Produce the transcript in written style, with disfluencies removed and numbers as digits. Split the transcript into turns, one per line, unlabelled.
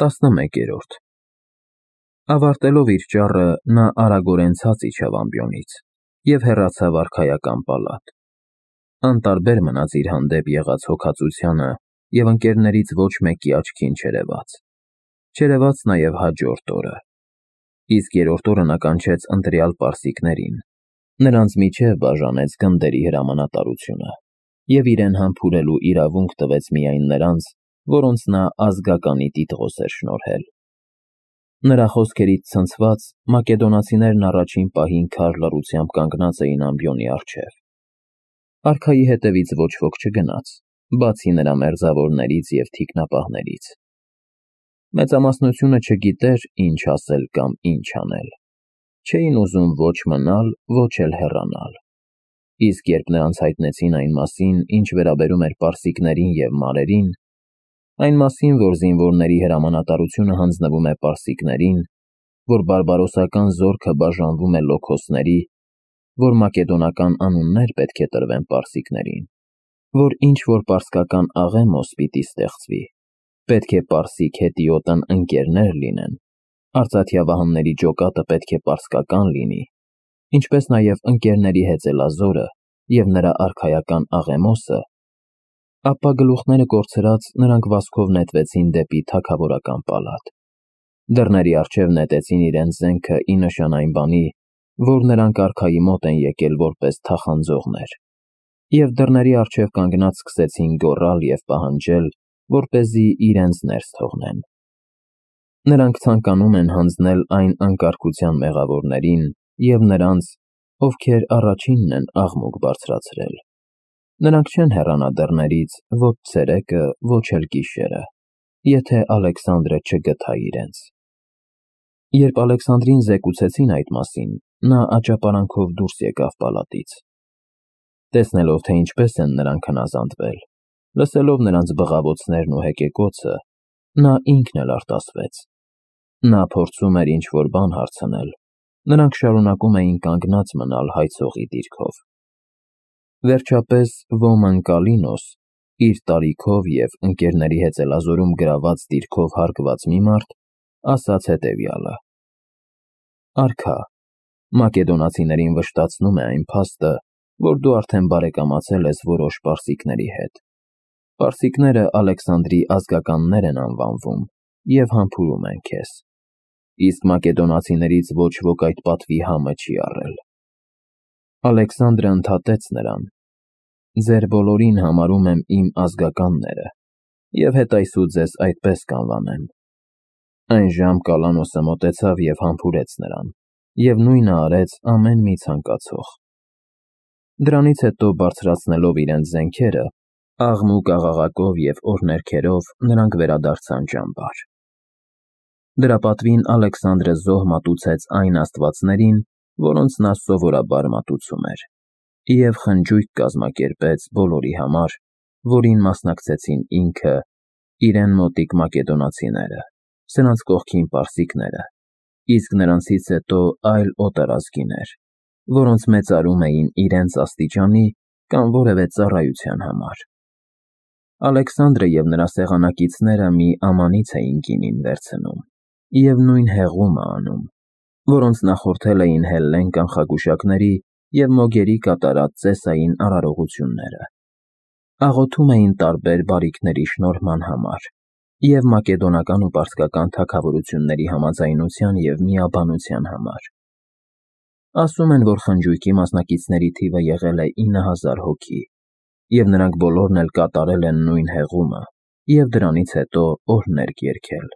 11-րդ Ավարտելով իր ճառը, նա արագորեն ցած իջավ ամբիոնից և հեռացավ արքայական պալատ։ Անտարբեր մնաց իր հանդեպ եղած հոգածությանը և ընկերներից ոչ մեկի աչքին չերևաց։ Չերևաց նաև հաջորդ օրը։ Իսկ երրորդ օրը նա կանչեց ընտրյալ պարսիկներին, նրանց միջև բաժանեց գնդերի հրամանատարությունը և իրեն համբուրելու իրավունք տվեց միայն նրանց, որոնց նա ազգականի տիտղոս էր շնորհել։ Նրա խոսքերից ցնցված, մակեդոնացիներն առաջին պահին քար լռությամբ կանգնած էին ամբիոնի առջև։ Արքայի հետևից ոչ ոք չգնաց, բացի նրա մերձավորներից և թիկնապահներից։ Մեծամասնությունը չգիտեր ինչ ասել կամ ինչ անել։ Չէին ուզում ոչ մնալ, ոչ էլ հեռանալ։ Իսկ երբ նրանց հայտնեցին այն մասին, ինչ վերաբերում էր պարսիկներին և մարերին, այն մասին, որ զինվորների հրամանատարությունը հանձնվում է պարսիկներին, որ բարբարոսական զորքը բաժանվում է լոքոսների, որ մակեդոնական անուններ պետք է տրվեն պարսիկներին, որ ինչ-որ պարսկական աղեմոս պիտի ստեղծվի, պետք է պարսիկ հետիոտն ընկերներ լինեն, արծաթյա վահանների ջոկատը պետք է պարսկական լինի, ինչպես նաև ընկերների հեծելազորը և նրա արքայական աղեմոսը, ապա գլուխները կորցրած նրանք վազքով նետվեցին դեպի թագավորական պալատ։ Դռների առջև նետեցին իրենց զենքը ի նշան այն բանի, որ նրանք արքայի մոտ են եկել որպես թախանձողներ, և դռների առջև կանգնած սկսեցին գոռալ և պահանջել, որպեսզի իրենց ներս թողնեն։ Նրանք ցանկանում են հանձնել այն անկարգության մեղավորներին և նրանց, ովքեր առաջինն են աղմուկ բարձրացրել։ Նրանք չեն հեռանա դռներից ոչ ցերեկը, ոչ էլ գիշերը, եթե Ալեքսանդրը չգթա իրենց։ Երբ Ալեքսանդրին զեկուցեցին այդ մասին, նա աճապարանքով դուրս եկավ պալատից։ Տեսնելով, թե ինչպես են նրանք հնազանդվել, լսելով նրանց բղավոցներն ու հեկեկոցը, նա ինքն էլ արտասվեց։ Նա փորձում էր ինչ-որ բան հարցնել, նրանք շարունակում էին կանգնած մնալ հայցողի դիրքով։ Վերջապես ոմն Կալինոս, իր տարիքով և ընկերների հեծելազորում գրաված դիրքով հարգված մի մարդ, ասաց հետևյալը. «Արքա, մակեդոնացիներին վշտացնում է այն փաստը, որ դու արդեն բարեկամացել ես որոշ պարսիկների հետ։ Պարսիկները Ալեքսանդրի ազգականներ են անվանվում և համբուրում են քեզ։ Իսկ մակեդոնացիներից ոչ ոք այդ պատվի համը չի առել»։ Ալեքսանդրը ընդհատեց նրան. «Ձեր բոլորին համարում եմ իմ ազգականները և հետայսու ձեզ այդպես կանվանեմ»։ Այնժամ Կալանոսը մոտեցավ և համբուրեց նրան, և նույնը արեց ամեն մի ցանկացող։ Դրանից հետո, բարձրացնելով իրենց զենքերը, աղմուկ աղաղակով և օրհներգերով նրանք վերադարձան ճամբար։ Դրա պատվին Ալեքսանդրը զոհ մատուցեց այն աստվածներին, որոնց նա սովորաբար մատուցում էր, և խնջույք կազմակերպեց բոլորի համար, որին մասնակցեցին ինքը, իրեն մոտիկ մակեդոնացիները, սրանց կողքին պարսիկները, իսկ նրանցից հետո այլ օտարազգիներ, որոնց մեծարում էին իրենց աստիճանի կամ որևէ ծառայության համար։ Ալեքսանդրը և նրա սեղանակիցները մի ամանից էին գինին վերցնում և նույն հեղումը անում, որոնց նախորդել էին Հելլեն կանխագուշակների և մոգերի կատարած ծեսային արարողությունները։ Աղոթում էին տարբեր բարիքների շնորհման համար և մակեդոնական ու պարսկական թագավորությունների համաձայնության և միաբանության համար։ Ասում են, որ խնջույքի մասնակիցների թիվը եղել է 9000 հոգի, և նրանք բոլորն էլ կատարել են նույն հեղումը և դրանից հետո օրհներգ երգել։